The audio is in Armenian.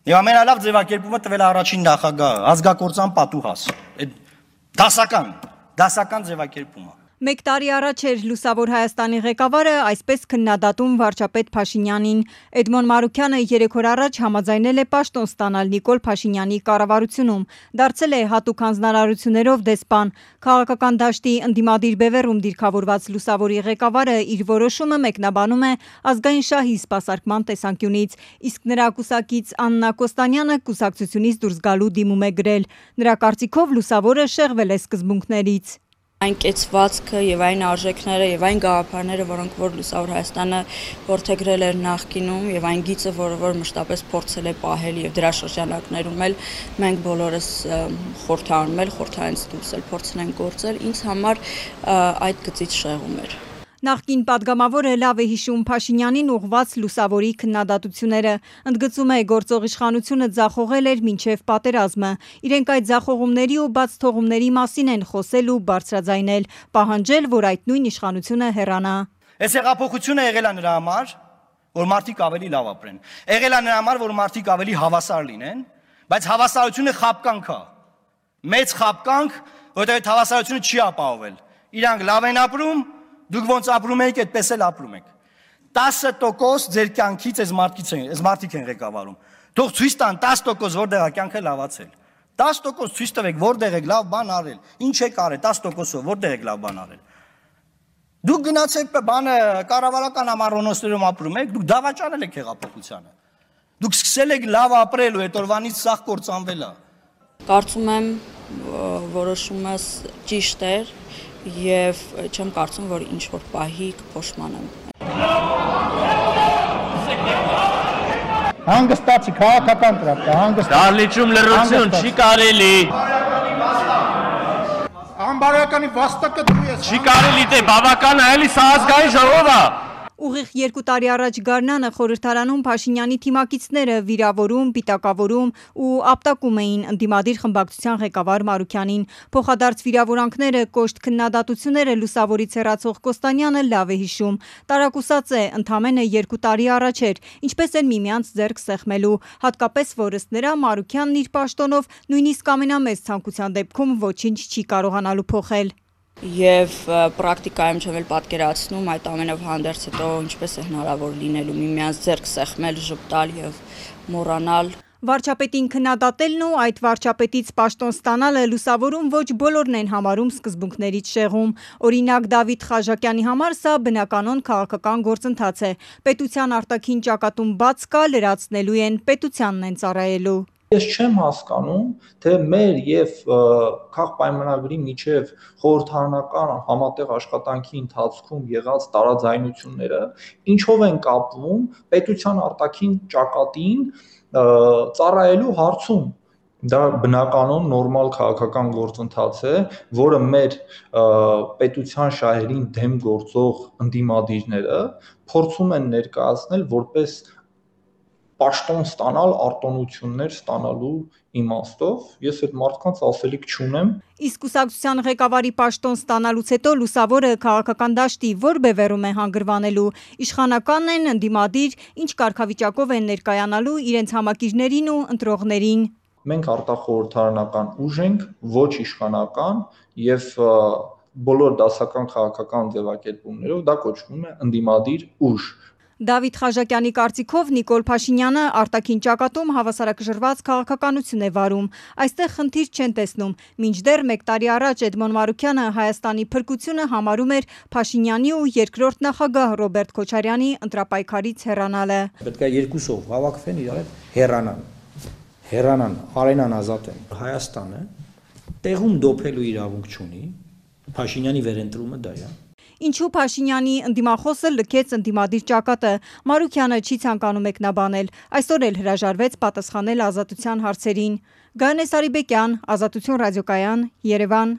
Եվ ամենալավ ձևակերպումը տվել առաջին նախագահը, ազգակործան պատուհաս, դասական ձևակերպումը։ Մեկ տարի առաջ էր Լուսավոր Հայաստանի ղեկավարը այսպես քննադատում վարչապետ Փաշինյանին։ Էդմոն Մարուքյանը 3 օր առաջ համաձայնել է պաշտոն ստանալ Նիկոլ Փաշինյանի կառավարությունում, դարձել է հատուկ հանձնարարություններով դեսպան։ Քաղաքական դաշտի ընդդիմադիր բևեռում դիրքավորված Լուսավորի ղեկավարը իր որոշումը մեկնաբանում է ազգային շահի սպասարկման տեսանկյունից, իսկ նրա կուսակից Աննա Կոստանյանը կուսակցությունից դուրս գալու դիմում է գրել։ Նրա կարծիքով Լուսավորը շեղվել է սկզբունքներից։ Այն կեցվածքը եւ այն արժեքները եւ այն գաղափարները, որոնք որ Լուսավոր Հայաստանը որդեգրել էր նախկինում եւ այն գիծը, որ մշտապես փորձել է պահել եւ դրա շրջանակներում էլ մենք բոլորս խորհրդանում էլ խորհրդայից դուրս էլ փորձել ենք գործել, ինձ համար այդ գծից շեղում էր։ Նախկին падգամավորը լավ է հիշում Փաշինյանին ուղղված Լուսավորի քննադատությունները, ընդգծում է գործող իշխանությունը ձախողել էր մինչև պատերազմը, իրենք այդ ձախողումների ու բաց թողումների մասին են խոսել ու բարձրաձայնել, պահանջել, որ այդ նույն իշխանությունը հեռանա։ Այս հեղափոխությունը եղել է նրա համար, որ մարդիկ ավելի լավ ապրեն, եղել է նրա համար, որ մարդիկ ավելի հավասար լինեն, բայց հավասարությունը խաբկանք է, մեծ խաբկանք, որտեղ այդ հավասարությունը չի ապահովել, իրանք լավ են ապրում, դուք ոնց ապրում եք, այդպես էլ ապրում եք։ 10% ձեր կյանքից այս մարդիկ են ղեկավարում։ Թող ցույց տան 10% որտեղ է կյանքը լավացել։ 10% ցույց տվեք որտեղ եք լավ բան արել։ Ինչ եք արել 10%-ով որտեղ եք լավ բան արել։ Դուք գնացեք բանը կառավարական ամառոնոցներում ապրում եք, դուք դավաճանել եք հեղափոխությանը։ Դուք սկսել եք լավ ապրել ու այդ օրվանից սաղ կործանվել է։ Կարծում եմ որոշումս ճիշտ էր եւ չեմ կարծում, որ ինչ որ պահի կփոշմանեմ։ Հանգստացի քաղաքական տրապտա, հանգստացի։ Դահլիճում լռություն չի կարելի։ Անբարոյականի վաստակը դու ես։ Չի կարելի դե բավական է, էլի սա ազգային ժողով է։ Ուղիղ 2 տարի առաջ Գարնանը խորհրդարանում Փաշինյանի թիմակիցները վիրավորում, պիտակավորում ու ապտակում էին ընդդիմադիր խմբակցության ղեկավար Մարուքյանին։ Փոխադարձ վիրավորանքները, կոշտ քննադատությունները Լուսավորից հեռացող Կոստանյանը լավ է հիշում։ Տարակուսած է, ընդամենը 2 տարի առաջ էր, ինչպես են միմյանց ձեռք սեղմելու, հատկապես որ ըստ նրա Մարուքյանն իր պաշտոնով նույնիսկ ամենամեծ ցանկության դեպքում ոչինչ չի կարողանալու փոխել։ Եվ պրակտիկայում չեմ էլ պատկերացնում այդ ամենով հանդերձ հետո ինչպես է հնարավոր լինելու միմյանց ձեռք սեղմել, ժպտալ եւ մոռանալ։ Վարչապետին քննադատելն ու այդ վարչապետից պաշտոն ստանալը Լուսավորում ոչ բոլորն են համարում սկզբունքներից շեղում։ Օրինակ Դավիթ Խաժակյանի համար սա բնականon քաղաքական գործընթաց է։ Պետության արտաքին ճակատում բաց կա, լրացնելու են, պետությանն են ծառայելու։ Ես չեմ հասկանում, թե մեր եւ քաղաքապայմանագրի միջև խորհրդարանական համատեղ աշխատանքի ընթացքում եղած տարաձայնությունները ինչով են կապվում պետության արտաքին ճակատին ծառայելու հարցում։ Դա բնականon նորմալ քաղաքական գործընթաց է, որը մեր պետության շահերին դեմ գործող ընդդիմադիրները փորձում են ներկայացնել որպես պաշտոն ստանալ, արտոնություններ ստանալու իմաստով, ես այդ մարդկանց ասելիք չունեմ։ Իսկ կուսակցության ղեկավարի պաշտոն ստանալուց հետո Լուսավորը քաղաքական դաշտի որ բևեռում է հանգրվանելու, իշխանականն են, ընդդիմադիր, ինչ կարգավիճակով են ներկայանալու իրենց համակիրներին ու ընտրողներին։ Մենք արտախորհրդարանական ուժ ենք, ոչ իշխանական եւ բոլոր դասական քաղաքական ձևակերպումներով դա կոչվում է ընդդիմադիր ուժ։ Դավիթ Խաժակյանի կարծիքով Նիկոլ Փաշինյանը արտաքին ճակատում հավասարակշռված քաղաքականություն է վարում։ Այստեղ խնդիր չեն տեսնում։ Մինչդեռ 1 տարի առաջ Էդմոն Մարուքյանը Հայաստանի փրկությունը համարում էր Փաշինյանի ու երկրորդ նախագահ Ռոբերտ Քոչարյանի ընտրապայքարից հեռանալը։ Պետք է երկուսով հավաքվեն իրար հետ հեռանան, արենան ազատեն։ Հայաստանը տեղում դոփելու իրավունք չունի։ Փաշինյանի վերընտրումը դա է։ Ինչու Փաշինյանի ընդդիմախոսը լքեց ընդդիմադիր ճակատը, Մարուքյանը չի ցանկանում մեկնաբանել, այսօր էլ հրաժարվեց պատասխանել Ազատության հարցերին։ Գայանե Սարիբեկյան, Ազատություն ռադիոկայան, Երևան։